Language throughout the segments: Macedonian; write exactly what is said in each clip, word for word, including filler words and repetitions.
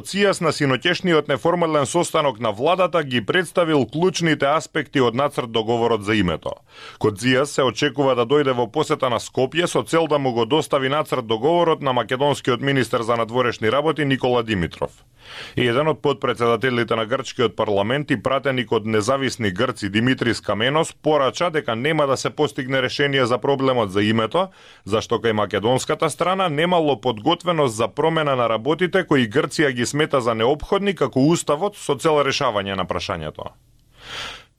Цијас на синоќешниот неформален состанок на владата ги представил клучните аспекти од нацрт договорот за името. Коцјас се очекува да дојде во посета на Скопје со цел да му го достави нацрт договорот на македонскиот министер за надворешни работи Никола Димитров. И еден од подпредседателите на грчкиот парламент и пратеник од независни грци Димитрис Каменос порача дека нема да се постигне решение за проблемот за името, зашто кај македонската страна немало подготвеност за промена на работите кои Грција ги смета за неопходни како уставот со цел решавање на прашањето.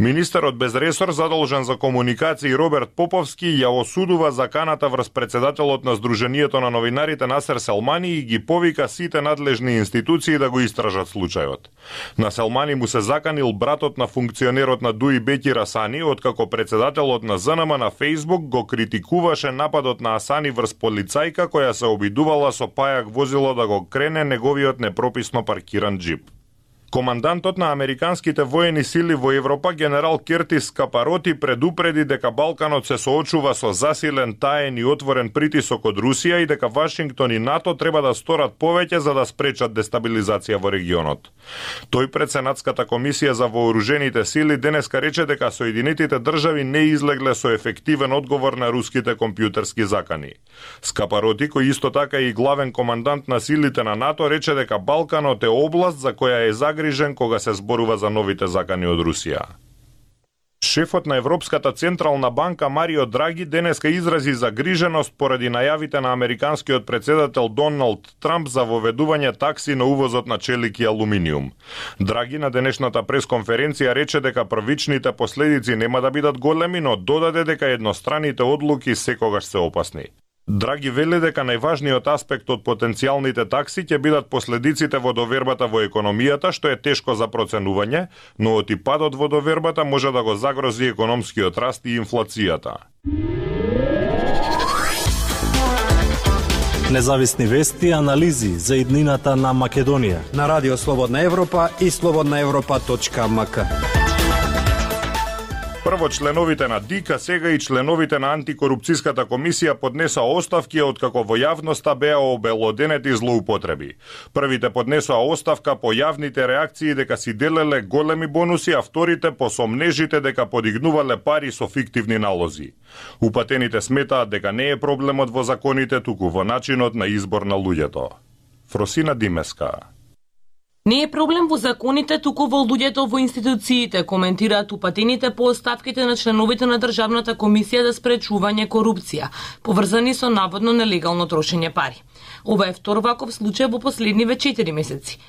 Министерот без ресор задолжен за комуникации Роберт Поповски ја осудува заканата врз председателот на Сдруженијето на новинарите Насер Селмани и ги повика сите надлежни институции да го истражат случајот. На Селмани му се заканил братот на функционерот на ДУИ Бекир Асани, откако председателот на ЗНМ на Фејсбук го критикуваше нападот на Асани врз полицајка која се обидувала со пајак возило да го крене неговиот непрописно паркиран джип. Командантот на американските воени сили во Европа, генерал Кертис Капароти, предупреди дека Балканот се соочува со засилен, таен и отворен притисок од Русија и дека Вашингтон и НАТО треба да сторат повеќе за да спречат дестабилизација во регионот. Тој пред Сенатската комисија за вооружените сили денеска рече дека Соединетите држави не излегле со ефективен одговор на руските компјутерски закани. Скапароти, кој исто така и главен командант на силите на НАТО, рече дека Балканот е област за која е загрижен кога се зборува за новите закани од Русија. Шефот на Европската централна банка Марио Драги денеска изрази загриженост поради најавите на американскиот председател Доналд Трамп за воведување такси на увозот на челик и алуминиум. Драги на денешната пресконференција рече дека првичните последици нема да бидат големи, но додаде дека едностраните одлуки секогаш се опасни. Драги вели дека најважниот аспект од потенцијалните такси ќе бидат последиците во довербата во економијата, што е тешко за проценување, но отипадот во довербата може да го загрози економскиот раст и инфлацијата. Независни вести и анализи за иднината на Македонија на Радио Слободна Европа и слободна европа точка ем ка. Прво членовите на ДИК, а сега и членовите на антикорупцијската комисија поднесоа оставки откако во јавноста беа обелоденети злоупотреби. Првите поднесоа оставка по јавните реакции дека си делеле големи бонуси, а вторите по сомнежите дека подигнувале пари со фиктивни налози. Упатените сметаат дека не е проблемот во законите, туку во начинот на избор на луѓето. Фросина Димеска. Не е проблем во законите, туку во луѓето во институциите, коментираат упатените по оставките на членовите на Државната комисија за спречување корупција, поврзани со наводно нелегално трошење пари. Ова е втор ваков случај во последниве четири месеци.